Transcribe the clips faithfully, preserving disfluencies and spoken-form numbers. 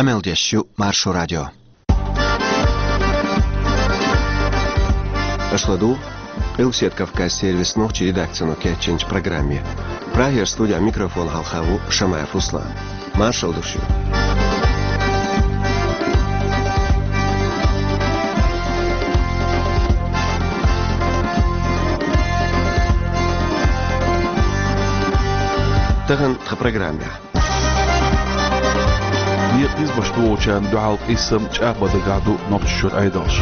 Къамел деш ю Маршо радио. Аша ладугӀу Къилбаседа Кавказ сервисан нохчийн редакцино кечйинчу программе. Прагера студехь микрофон хьалха ву Шамаев Руслан. Маршалла ду шуьга. Тахана тхан программехь. Некъан низамаш дохучарна дуьхьал къийсам чӀагӀбан дагахь ду Нохчийчуьра Ӏедалш.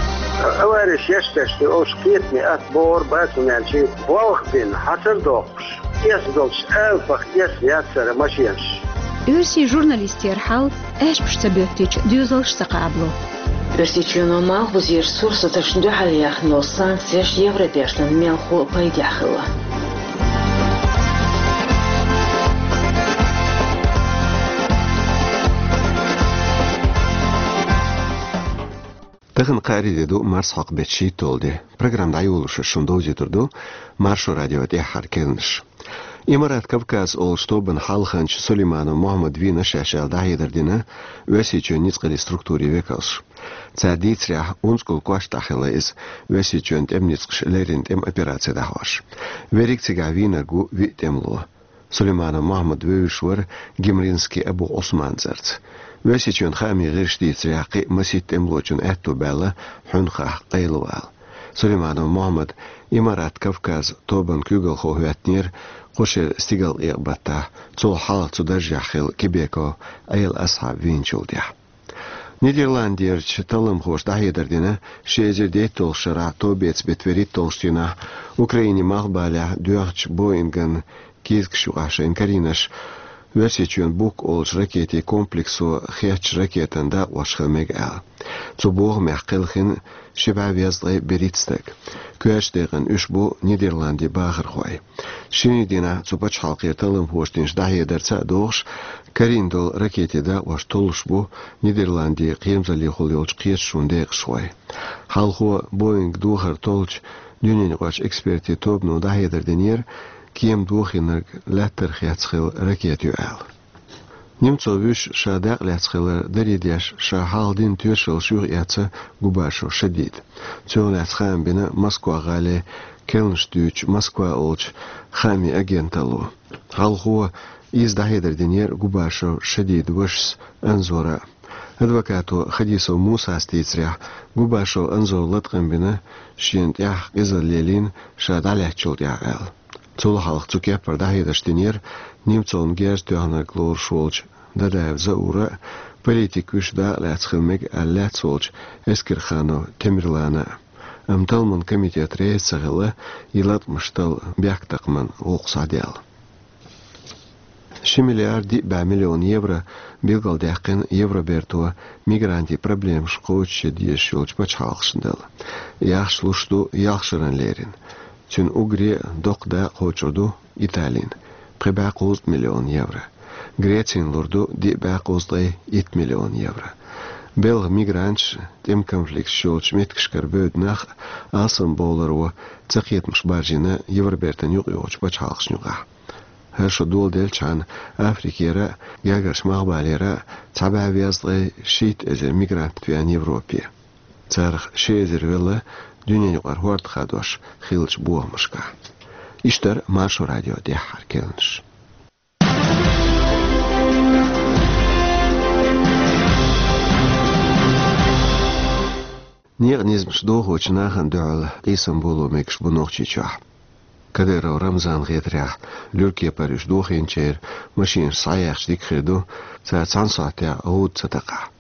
Авареш еш тешна, оцу кхетаме атта бохура бацамаьлчийн болх бина, хьацар доккхуш, эс долчу алапах эс яцара машенаш. Оьрсийн журналистера хьал аьшпаш ца боьттича, доьзалш ца кхабало. Оьрсийчоьно малхбузерчу сурсаташна дуьхьал яьхна йолу санкцеш Евробертан мелхо а пайдехь хилла. Тахана кхаарин де ду, марсхьокху беттан шийтталгӀа де. Программа дӀайолош шуна довзуьйтур ду Маршо радион тӀаьххьара керланаш. Имарат Кавказ олучу тобанан хьалханча Сулейманов Мохьмада вийна шаьш аьлла дӀахьедар дина Оьрсийчоьнан ницкъаллин структурийн векалша. Цара дийцарехь, унзикъал кошта тӀехь хилла иза, Оьрсийчоьнан тӀеман ницкъаша леррина тӀеман операци дӀахьош. Верриг цигахь вийнарг ву виъ тӀемало. Сулейманов Мохьмад вевзаш вара Гимринский Абу Ӏусман цӀарца. Оьрсийчоьнан хаамийн гӀирсаша дийцарехь, кхин а масийтта тӀемалочунна аьтто баьлла хьуьнхахь къайлавала. Сулейманов Мохьмад Имарат Кавказ тобанан куьйгалхо хӀоьттинера кху шеран стигалкъекъа-баттахь, цул хьалха цу даржехь хилла Кебеков Ӏела Асхьаб вийначул тӀаьхьа. Нидерландерчу талламхоша дӀахьедар дина, ши эзар дейтталгӀачу шарахь, товбеца беттан вуьрхӀитталгӀачу дийнахь, Украинин малхбалехь доьхначу Боинган кийсакаш юкъахь шайна карийнарш Оьрсийчоьнан Бук олучу ракетийн комплексо хецначу ракетан дакъош хила мега аьлла. Цу бохамех кхелхина ши бӀе везткъе берхӀитта стаг. Коьртачу декъана уьш бу Нидерландийн бахархой. Шинарин дийнахь цу пачхьалкхера талламхоша динчу дӀахьедарца а догӀуш, карийна долу ракетийн дакъош толлуш бу Нидерландийн кхерамзаллехула йолчу кхеташонан декъашхой. Хьалхо Боинг дохар толлучу дуьненаюкъарчу экспертийн тобано дӀахьедар динера, кема дохийнарг лаьттара хецна хилла ракета ю аьлла. Немцов вуьш ша дакъа лаьцна хилар даре деш, ша хьалха дина тоьшаллаш юхаэцна Губашев Шадида. Цунах лаьцна хаам бина Москва-гӀалин керланаш дуьйцучу Москва олучу хаамийн агенталло. Хьалхо иза дӀахьедар динера Губашев Шадидан вашас Анзора. Адвокато Хадисов Мусас дийцарехь, Губашев Анзора латкъам бина, шена тӀехь къизалла лелийна, ша дӀалаьцначул тӀаьхьа аьлла. Цул хьалха цу кеппара дӀахьедарш динера Немцовна герз тоьхнарг лоруш волчу Дадаев Заура а, политик вуьш дакъа лаьцна хила мега аьлла лаьцна волчу Эскерханов Темирлана а. Амма талламан комитет реза ца хилла и латкъамаш талла бехктакхаман гӀуллакх схьадаьлла. Ши миллиард диъ бӀе миллион евро билгалдаьккхина Евроберто мигрантийн проблемаш кхочушъян дезаш йолчу пачхьалкхашна дала. И ахча луш ду ялх шарна леррина. Цуьнан уггаре а доккха дакъа кхочур ду Италина, пхи бӀе кхузткъа миллион евро. Грецина лур ду диъ бӀе кхузткъе итт миллион евро. Белхан мигранташ, тӀеман конфликташ йолчу меттигашкара бевдда нах а алсамбовларо цакхетамаш баржийна Евробертан юкъайогӀучу пачхьалкхашна юкъахь. ХӀара шо доладелчхьана, Африкера а, Гергарчу Малхбалера а цхьа бӀе везткъе шийтта эзар мигрант веана Европе. Царах ши эзар велла дуьненаюкъара хӀорда хадош хиллачу бохамашкахь. Иштта дара Маршо радион тӀаьххьара керланаш. Некъан низамаш дохочу нахана дуьхьал къийсам боло мегаш бу Нохчийчохь. Кадыров Рамзанан хетарехь, луьра кепара уьш дохийначеран машинаш схьаяьхча дика хир ду, цара цхьана сохьтехь гӀуда ца такхахь.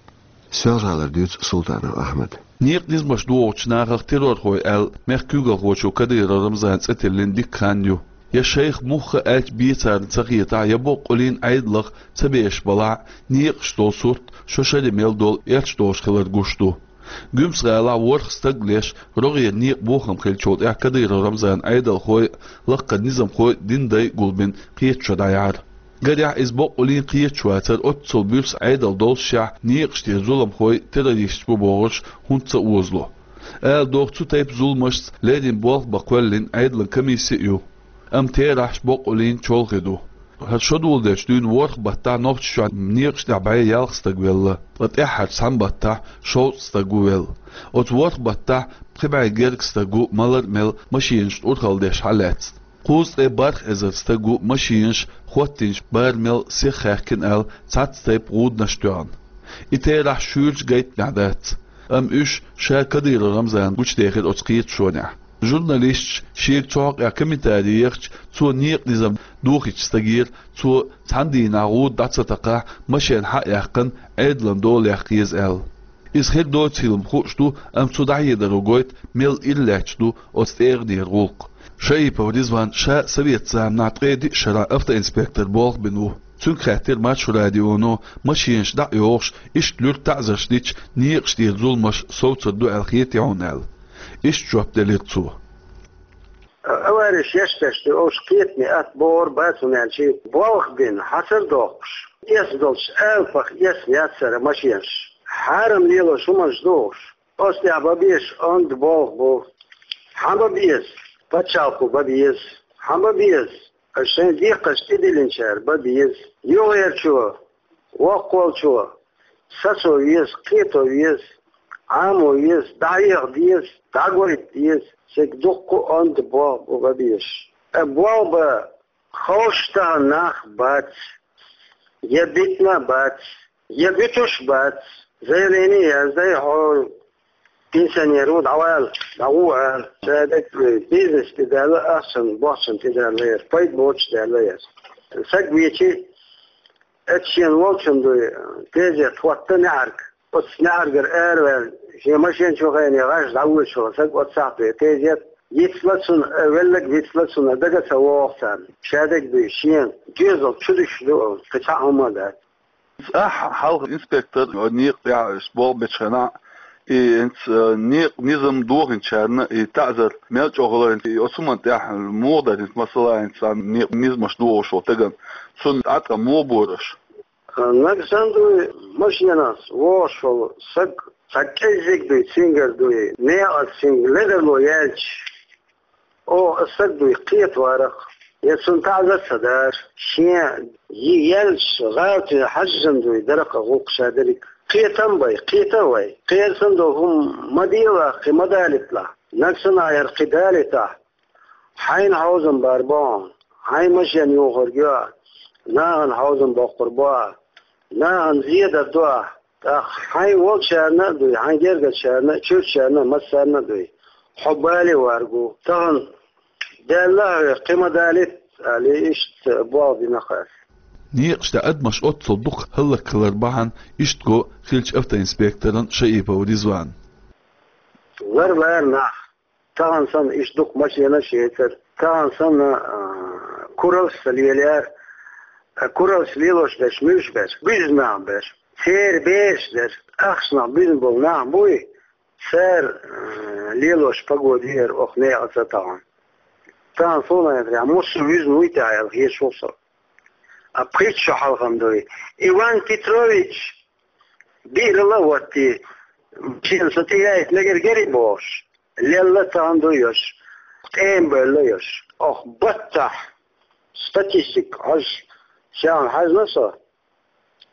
Соьлжа-ГӀалара дуьйцу Султанов Ахьмада. Некъан низамаш дохучу нахах террорхой аьлла, мехкан куьйгалхочо Кадыров Рамзана цӀе тиллина дикка хан ю. Я шайх муха аьлча бен царна ца хетахь, я боккъаллин Ӏедалах ца беш балахь, некъаш долу сурт шо шаре мел долу эрча долуш хилар гуш ду. Гуьмсан-ГӀалахь ворхӀ стаг леш, рогӀера некъан бохам хиллачул тӀаьхьа Кадыров Рамзанан Ӏедалхой а, лаккхара низамхой а динан дай а гулбина кхеташо дӀаяьхьира. Гарехь, иза боккъаллин кхеташ вацара, оццул буьрса Ӏедал доллушехь, некъаш тӀера зуламхой террористаш бу бохурш хӀунда ца озало. Ала догӀу, цу тайпа зуламашца леррина болх бан кхоьллина Ӏедалан комисси а ю. Амма терахьаш боккъаллин чолхе ду. ХӀара шо доладелча дуьйна ворхӀ баттахь Нохчийчохь некъаш тӀехь бӀе ялх стаг велла, ткъа тӀаьххьарчу цхьана баттахь шовзткъа стаг ву велла. Оцу ворхӀ баттахь пхи бӀе гергга стаг ву малар а мел машинашна урхалла деш хьалаьцна. Кхузткъе бархӀ эзар стаг ву машинаш, хӀоттийначу барамел сиха хаьхкина аьлла, цхьацца тайпа гӀуданаш тоьхна. И терахь шуьйрачу гайтамехь дац. Амма уьш ша Кадыров Рамзана гучудехира оцу кхеташонехь. Журналисташа шега цу хьокъехь комментарий ехча, цо некъан низам дохийначу стагера, цо цхьана дийнахь гӀуда дӀа ца такхахь, машен хьа а яьккхина, Ӏедалан дола яккха еза аьлла. Иза хир доцийла-м хууш ду, амма цу дӀахьедаро гойту, мел ирс лаьтташ ду оцу тӀегӀанера гӀуллакх. Шаипов Ризван ша совет заманахь ткъе диъ шарахь автоинспектор болх бина ву. Цуьнга хаьттира Маршо радионо, машинаш дӀа а йохуш, иштта луьра таӀзарш дича, некъаш тӀера зуламаш совцур ду аьлла хетий хьуна аьлла. Иштта жоп делира цо. Авареш еш деш ду, уьш кхетаме атта бохур бац, хӀунда аьлча болх бина, хьацар доккхуш, эс долчу алапах эс яцара машинаш. Хьарам лелош хӀуманаш ду уьш. Оцу тӀехь бан безаш онда болх бу. Хьан бан беза? Пачхьалкхо бан беза. Хьан бан беза? Аш шайн декхарш тӀедиллинчара бан беза. Юххерчо, воккхалчо, сацо веза, кхето веза, Ӏамо веза, дӀахьеха деза, дӀагойта деза, цига дуккха а онда болх бу бан безаш. Э, болх бан ховш тахана нах бац, я битина а бац, я буьтуш а бац, заявление яздай, хьо пенсионер ву, дӀавала, дӀагӀо аьлла. Цара бизнес тӀедаьлла, ахчан, бохчан тӀедаьлла яра, пайда боцуш даьлла яра. Саг вечи, эцу шена волчун дуй, тезет хӀотта неӀарга. Оцу неӀаргара араваьлла, шен машен чу хене гӀаш дӀавоьдуш вара саг оццахь дуй, тезет. Йицла цунна, э, веллаг вицла цунна, дага ца вогӀу царна. Шадерг дуй, шена доьзал чу дуьсуш ду, кхин цхьа а хӀума а дац. Ахь хьалха инспектор, некъа тӀехь иштта болх бечу хенахь, и хӀинца, э, некъан низам дохийначарна и таӀзар мел чӀогӀа хилар, и оцу хӀуманна тӀехь муха дара хӀинца масала, хӀинца некъан низамаш дохуш волу стагана, цунна тӀаьткъа муха бора аша? Нагахь санна дуй, машенахь вогӀуш волу саг, цхьа кӀеззиг дуй, цуьнгара дуй, некъаца цуьнга ледарло яьлча, оха аса саг дуй, кхетаварах, я цунна таӀзар ца дара, шен йи яьлча, гӀалатина хьаьжжина дуй, даракъа гӀуллакх ша дерриг. Кхетам бай, кхета а вай, кхерсан долу хӀума ма делахь, кхин ма далийталахь, нагахь санна ахь яра кхин далийтахь, хьайна хьовзам бар бохьа, хьайн машен юхург йоа, нахана хьовзам боккхур боа, нахана зедар доа, тӀаккха хьайн волчарна а дуй, хьайн гергарчарна а, чуьрачарна а, массарна а дуй. Хьо бале варгу. Тахана даьлла хьоьга, кхин ма далийта, аьлла, иштта болх бина кхара. Некъаш тӀехь адамаш оццул дукха хӀаллакьхилар бахьана иштта го хиллачу автоинспекторан Шаипов Ризван. Лар лара нах. Тахана санна иштта дукха машенаш яцара. Тахана санна, а, кураллаш ца лелаяра. А, кураллаш лелош берш муьлш бара? Буьзна нах бара. Церан бераш дара. Ахчанах буьзна болу нах буй, цара, а, лелош погода яра оха некъаца тахана. Тахана суна яхарехь, муьлш вуьзна вуй те аьлла хеташ ву со. А пхийтта шо хьалха-м дуй. Иван Петрович, биъралла а ватти, шена со тӀеяйта мегар гери бохуш, лелла тахана дуй йош, ткъе бевлла йош. Оха баттахь статистика хьожуш, шен хьаьжна со,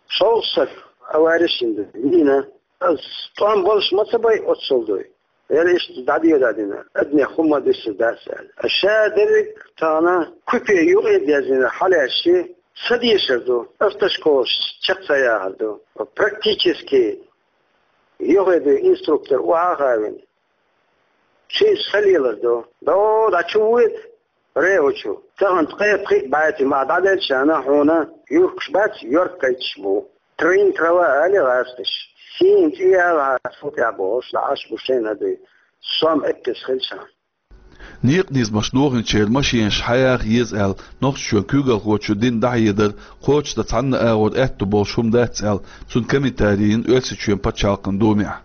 шовзткъа стаг авареш йина ду, вийна. Ас тӀом болуш ма ца бай оццул дуй. Яра иштта дӀадоьдадина, адамех хӀумма дуьсур дац аьлла. Ша дерриг тахана купе юкъе а даьззина хьалаьшши, ца дешар ду, автошколаш чекх ца яхар ду. Практически юххе дуй инструктор охьа а хавина, ши са лелар ду. До, дӀа чу вуьйта, РЭО чу. Тахана ткъе пхиъ бӀаьти ма дӀаделчарна хьуна юркаш бац, йорк кхайчаш бу. Трин трава али гӀазкхаш. Сийна цӀе яла хьан су тӀехь бохуш, дӀа Ӏаш бу шайна дуй. Сом эппес хилча. Некъан низамаш дохийначеран машенаш хьаяха еза аьлла, Нохчийчоьнан куьйгалхочо дина дӀахьедар кхочушдан цхьанна агӀор аьтто болуш хӀума дац аьлла, цуьнан комментарий йина Оьрсийчоьнан пачхьалкхан Думехь.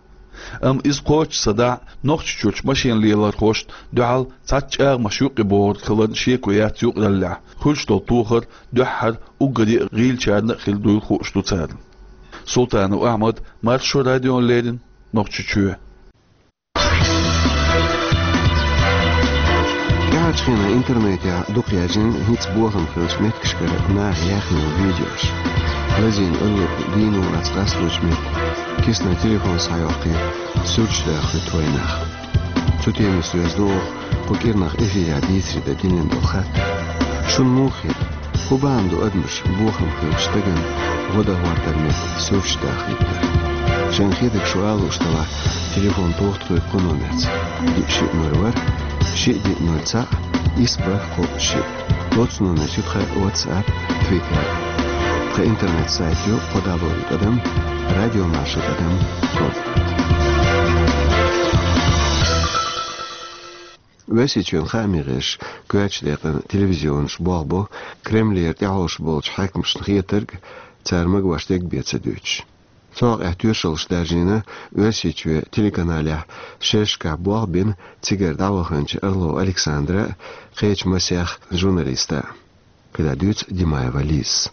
Амма иза кхочуш ца дахь, Нохчийчуьрчу машен лелорхошна дуьхьал цхьацца чӀагӀамаш юкъе богӀург хиларна шеко яц юкъараллехь, хуьлуш долу тохар дуьххьара уггаре а гӀийлачарна а хир дуйла хууш ду царна. Султанов Ахьмад, Маршо радиона леррина, Нохчийчоь. Хенахь интернетехь дукха яьржина хӀинца бохам хиллачу меттигашкара наха яьхна йолу видеош. Лазийна аллург дийно вац къасталучу метте, кисана телефон схьайоккхий, суьрташ даха хуьтту вайнах. Цу темаца доьзна ду оха кху кӀирнах эфирехь дийцаре дан динан долу хаттар. Шуна муха хета, хӀун бахьана ду адамаш бохам хиллачу стагана гӀо дан хӀоттар метта суьрташ даха хӀиттар? Шайна хетарг шу ала лууш делахь, телефон тоха тхоьга кху номерца: диъ шиъ ноль ворхӀ, шиъ диъ ноль цхьаъ, исс бархӀ кхоъ шиъ. Оцу номерца ю тхан WhatsApp, Twitter. Тхан интернет-сайт ю кхо дабл ю тӀадам радиомаршо тӀадам ком. Оьрсийчоьнан хаамийн гӀирсаша коьртачу декъана телевизионаш болх бо Кремлера тӀехьовсуш болчу хьаькамашна хетарг, цара магош дерг бен ца дуьйцуш. Цу хьокъехь тоьшаллаш даржийна Оьрсийчоь телеканалехь шерашкахь болх бина цигара дӀаваханчу Орлов Александра а, кхечу масех журналиста а. КхидӀа дуьйцу Димаева Лизас.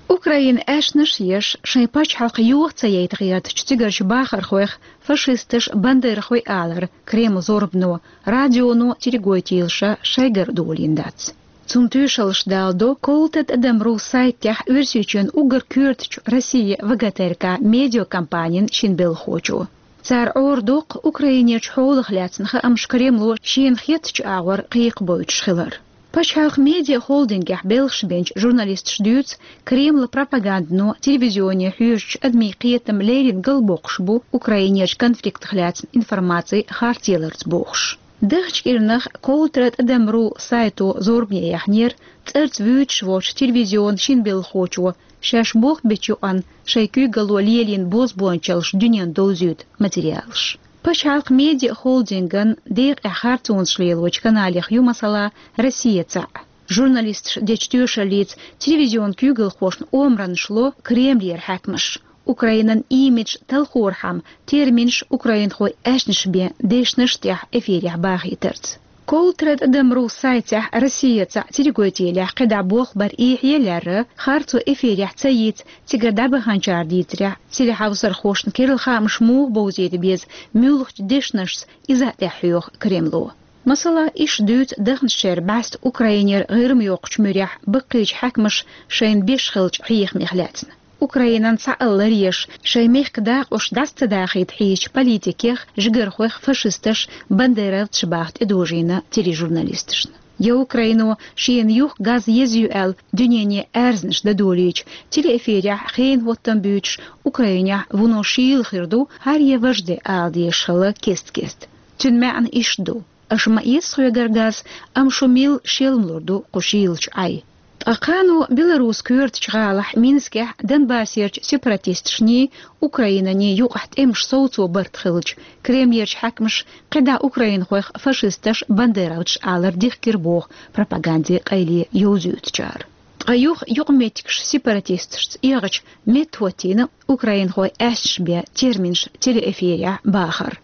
Украинан аьшнаш а еш, шайн пачхьалкх йоха ца яйта гӀертачу цигарчу бахархойх фашисташ бандерахой алар Кремлан зорбано, радионо, телегойтийлаша шайгара долийна дац. Цунна тоьшаллаш даладо Колта тӀадам ру сайтехь Оьрсийчоьнан уггар коьртачу Россия ВГТРК медиакомпанин шина белхахочо. Цара Ӏорадоккху Украинерчу хьолах лаьцна хаамаш Кремло шена хеттачу агӀор кхайкхабойтуш хилар. Пачхьалкхан медиахолдингехь белхаш бинчу журналисташа дуьйцу, Кремлан пропагандано телевизионе хьоьжучу адамийн кхетам леррина галбоккхуш бу Украинерчу конфликтах лаьцна информаци харц яларца бохуш. Даханчу кӀирнах Колта тӀадам ру сайто зорбане яьхнера цӀарца вуьйцуш волчу телевизионан шина белхахочо шаьш болх бечу юкъана шайн куьйгалло лелийна бозбуунчаллаш дуьненна довзуьйту материалаш. Пачхьалкхан медиахолдинган декъехь харцонаш лелочу каналех ю, масала, «Россия» цхьаъ. Журналисташа дечу тоьшаллица телевизионан куьйгалхошна омранаш ло Кремлера хьаькамаш, Украинан имидж талхорхьама терминаш украинхойн аьшнаш бен дешнаш тӀехь эфирехь бахийтарца. Колта тӀадам ру сайтехь «Россия» цхьаъ телегойтийлехь кхидӀа болх бар эхье а лаьрра, харцо эфирехь ца йийца цигара дӀабаханчара дийцарехь, телехьовсархошна керла хаамаш муха бовзийта беза, муьлхачу дешнашца иза а тӀехьахьоьху Кремло. Масала, иштта дуьйцу даханчу шеран бӀаьста Украинера ГӀирма йоккхучу муьрехь баккхийчу хьаькамаша шайна беш хиллачу хьехамех лаьцна. Украинан цхьаалла ларъеш, шайн мехкан дакъош дӀаса ца дахийта хьийзачу политикех, жигархойх фашисташ, бандеровцаш баха тӀедожийна тележурналисташна. Я Украино шена юха газ еза ю аьлла дуьнене аьрзнаш дан долийча, телеэфирехь хенан хӀоттам буьйцуш, Украинехь вуно шийла хир ду, хӀара я важа де ала дезаш хилла кест-кеста. Цуьнан маьӀна иштта ду: аша ма эца тхоьгара газ, амма шу милла шелмалур ду кху шийлачу Ӏай. Ткъа кхано Беларусин коьртачу гӀалахь Минскехь Донбассерчу сепаратисташний, Украинанний юкъахь тӀемаш совцо барт хилча, Кремлерчу хьаькамаша кхидӀа украинхойх фашисташ, бандеровцаш алар дихкира боху пропагандин къайле йовзуьйтучара. Ткъа юха юкъаметтигаш сепаратисташца эгӀача, меттахӀоттийна украинхойн аьшнаш бен терминаш телеэфирехь бахар.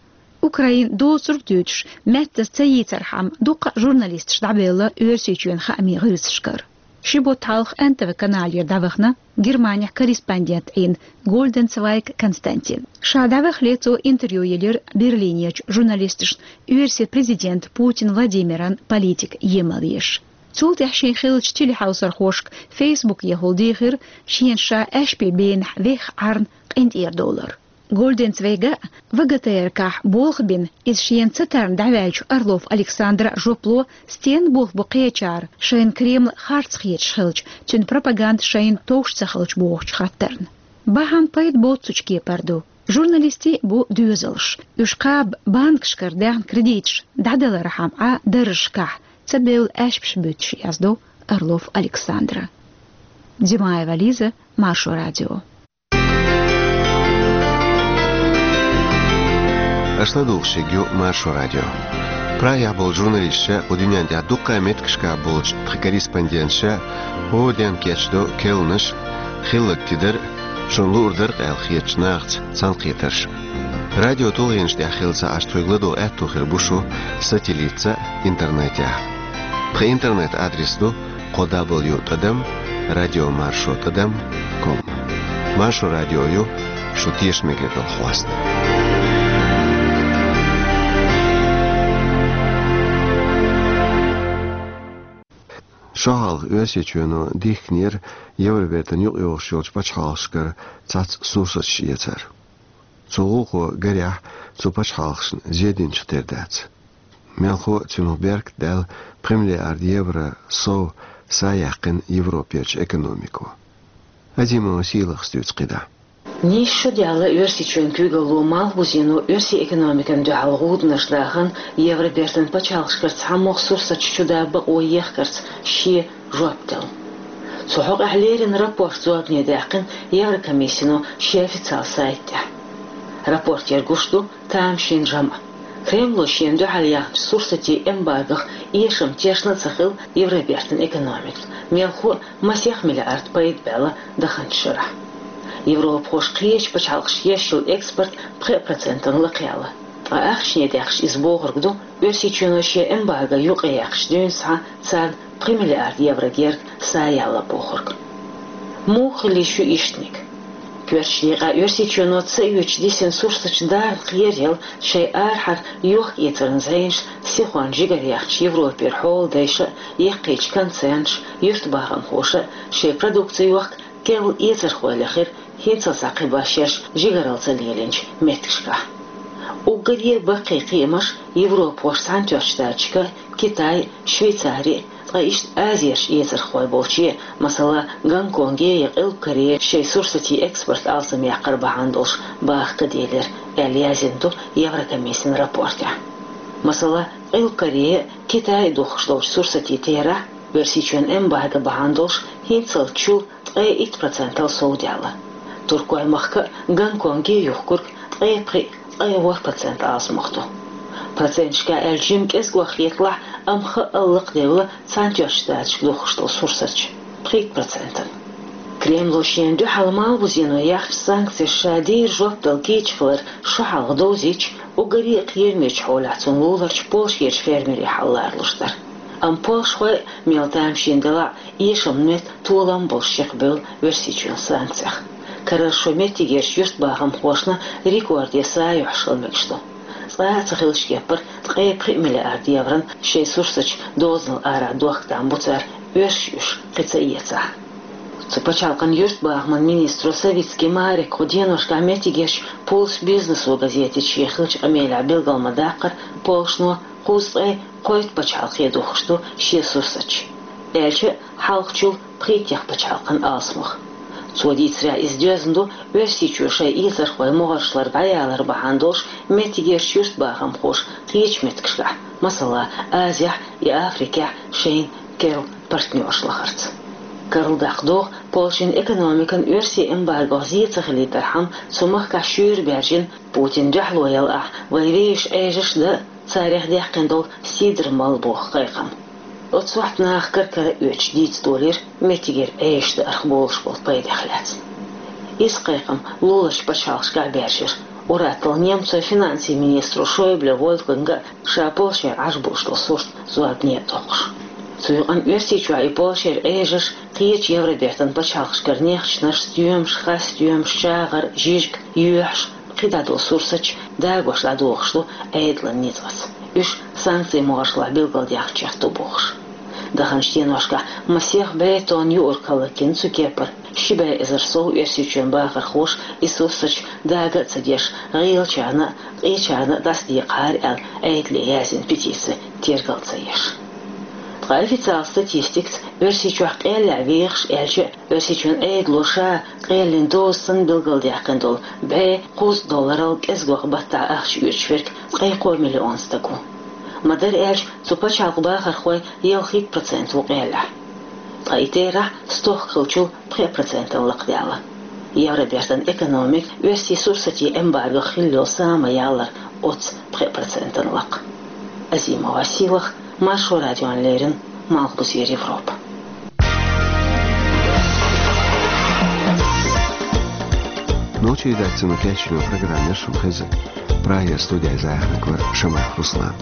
Украин доцург дуьйцуш, маьттаза ца йийцархьама, дуккха а журналисташ дӀабевлла Оьрсийчоьнан хаамийн гӀирсашкара. Ши бутт хьалха Н Т В каналера дӀавахана Германехь корреспондент Ӏийна Гольденцвайг Константин. Ша дӀавахале цо интервью елира Берлинерчу журналисташна оьрсийн президент Путин Владимиран политика емал еш. Цул тӀаьхьа шен хиллачу телехьовсархошка Фейсбукехула дийхира шена ша аьшпийн бенахь вехха Ӏарна къинтӀера довлар. Гольденцвайга В Г Т Р К-хь болх бина, иза шена ца тарна дӀаваьллачу Орлов Александра жоп ло, стенна болх бу кхечара, шайна Кремль харц хеташ хилча, цуьнан пропаганда шайна товш ца хилча бохучу хаттарна. Бахьана пайда боццучу кепара ду. Журналистий бу доьзалш. Уьш кхаба банкашкара даьхна кредиташ дӀадалархьама Ӏа даржашкахь, ца бевлла аьшпаш буьтуш, яздо Орлов Александра. Димаева Лиза, Маршо радио. Аша ладугӀуш ерг ю Маршо радио. Прагехь болчу журналисташа, кху дуьнен тӀехь дуккха а меттигашкахь болчу тхан корреспонденташа хӀора ден кечдо керланаш, хилларг тидар, шуна луур дара-кх аьлла хетачу нахаца цхьаьнакхетарш. Радио тулгӀенаш тӀехь хилла ца Ӏаш тхоьга ладогӀа аьтто хир бу шу сателлитца а, интернетехь а. Тхан интернет-адрес ду кхо дабл ю тӀадам радио маршо тӀадам ком. Маршо радио ю шу тешам мегар долу хьоста. Шо хьалха Оьрсийчоьно дихкинера Евробертана юкъайогӀуш йолчу пачхьалкхашкара цхьацца сурсаташ эцар. Цу гӀуллакхо, гарехь, цу пачхьалкхашна зе динчух тера дац. Мелхо а цунах беркат даьлла, пхи миллиард евро сов са яьккхина Европерчу экономико. Азимова Сийлахьас дуьйцу кхидӀа. Нийсса шо даьлла Оьрсийчоьнан куьйгалло Малхбузено оьрсийн экономикана дуьхьал гӀуданаш дахана, Евробертан пачхьалкхашкара цхьамогӀа сурсаташ чу дан бакъо ехкарца шен жоп делла. Цу хьокъехь леррина рапорт зорбане даьккхина Еврокомиссино шен официал сайта тӀехь. Рапортера гуш ду тамашийна жамӀ. Кремло шена дуьхьал яьхначу сурсатийн эмбаргох эшам тешна а ца хилла Евробертан экономикана, мелхо а масех миллиард пайда баьлла даханчу шарахь. Европахоша кхечу пачхьалкхашка еш йолу экспорт пхи процентана лакхаялла. Ткъа ахчане даьккхича иза бохург ду, Оьрсийчоьно шен эмбарго юкъаяьккхича дуьйна схьа царна пхи миллиард евро герга са ялла бохург. Муха хилла ю ишттаниг? Коьртачу декъехь Оьрсийчоьно ца оьцуш дисина сурсаташ дарна кхераелла, шайн арахьара йохк-эцаран зӀенаш сихонна жигара яьхначу Европера хьоладайша а, яккхийчу концернаша а, юьртбахамхоша а шайн продукци йохка керла эцархой лехира хӀинццалц кхин башха шаьш жигаралла ца лелийначу меттигашкахь. Уггаре а баккхий кхиамаш Европахошна Цхьаьнатоьхначу Штаташка, Китай, Швейцари, ткъа иштта Азерчу эцархой болче, масала, Гонконге я Къилба Корее шайн сурсатийн экспорт алсамъяккхар бахьана долуш баха ца делира, аьлла яздина ду Еврокомиссин рапортехь. Масала, Къилба Корее, Китай духкуш долчу сурсатийн терахь, Оьрсийчоьнан эмбарго бахьана долуш, хӀинццалц чул ткъе итт процентал совдаьлла. Туркойн махка а, Гонконге а юхкург ткъе пхиъ, ткъе ворхӀ процент алсамох ду. Проценташкахь аьлча жимма кӀезгох хеталахь, амма хаъал лакхадевлла Цхьаьнатоьхначу Штаташка духкуш долу сурсаташ пхийтта процентана. Кремло шена дуьхьал Малхбузено яьхначу санкцешна ша дийр жоп дала кийча хилар шо хьалха довзийча, уггаре а кхерамечу хьолехь цунна луларчу Польшерчу фермерийн хьал ларалуш дара. Амма польшахой а, мел тамашийна делахь а, эшаман метта толам болуш чекхбевлла Оьрсийчоьнан санкцех. Карара шо меттигерчу юьртбахамхошна рекорде са юьхьуш хила мегаш ду. Цкъа а ца хиллачу кепара ткъе пхи миллиард еврон шайн сурсаташ дозанал ара дохка там бу цара, оьшуш уьш кхин ца эцахь. Цу пачхьалкхан юьртбахаман министро Савицкий Марека кху деношкахь меттигерчу «Пульс бизнесу» газетаца шен хиллачу къамелехь билгал ма даккхара, Польшано кхузткъе кхойтта пачхьалкхе духкуш ду шен сурсаташ, аьлча а хьалхачул пхийттех пачхьалкхан алсамох. Цо дийцарехь, иза доьзна ду Оьрсийчоь шайн эцархой могӀаршлара дӀаялар бахьана долуш меттигерчу юьртбахамхоша кхечу меттигашкахь, масала, Азехь я Африкехь шайна керла партнерш лахарца. Карладаккха догӀу, Польшин экономикана оьрсийн эмбаргох зе ца хилийтархьама, цу махкахь шуьйра баьржина, Путина дуьхьало ялахь, вай вешан Ӏежаш а дан, царех даьккхина долу сидр мала боху кхайкхам. Оцу сохьта наха кара-кара оьцуш дийца долийра меттигера Ӏежаш даарх болуш болу пайдех лаьцна. Иза кхайкхам луларчу пачхьалкхашкахь баьржира. Ур-атталла немцойн финансийн министро Шойбле Вольфганга ша Польшера Ӏаш бууш долу сурт зорбане а доккхуш. Цу юкъана Оьрсийчохь и Польшера Ӏежаш, кхечу Евробертан пачхьалкхашкара нехчанаш, стоьмаш, хасстоьмаш, чагӀар, жижиг, йоьхьаш, кхидӀа долу сурсаташ дагош дӀадохуш ду Ӏедалан ницкъаца, уьш санкцийн могӀаршлахь билгалдаьхначех ду бохуш. Даханчу деношкахь масех бӀе тонна юург хӀаллакйина цу кепара. Ши бӀе эзар сов Оьрсийчоьнан бахархоша и сурсаташ дага а ца деш, гӀийлачарна а, къечарна а дӀасадекъахьара аьлла, Ӏедале яздина петици тергал ца еш. Ткъа официалан статистикаца Оьрсийчохь къеллехь вехаш, аьлча а, Оьрсийчоьнан Ӏедало ша къеллин доза санна билгалдаьккхина долу бӀе кхузткъа долларал кӀезгох баттахь ахча оьцуш верг ткъе кхо миллион стаг ву. Ма-дарра аьлча, цу пачхьалкхан бахархойн ялхитта процент ву къеллехь. Ткъа и терахь стохка хиллачул пхи процентана лакхадаьлла. Евробертан экономика оьрсийн сурсатийн эмбаргох хилла йолу са ма-яллара оццу пхи процентана лакха. Азимова Сийлахь, Маршо радиона леррина, Малхбузера Европа. Нохчийн редакцино кечйина программа яра шуна хезна. Прагера студехь захьаниг вара Шамаев Руслан.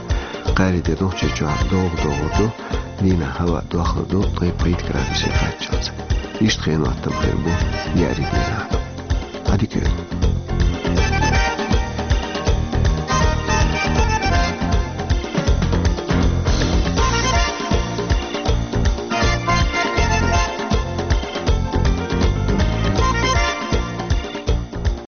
Кхари де Нохчийчохь догӀа догӀур ду, дийнахь хӀаваъ дохлур ду ткъе пхийтта градусе кхаччалц. Иштта хенан хӀоттам хир бу яарин дийнахь. Ӏадика йойла.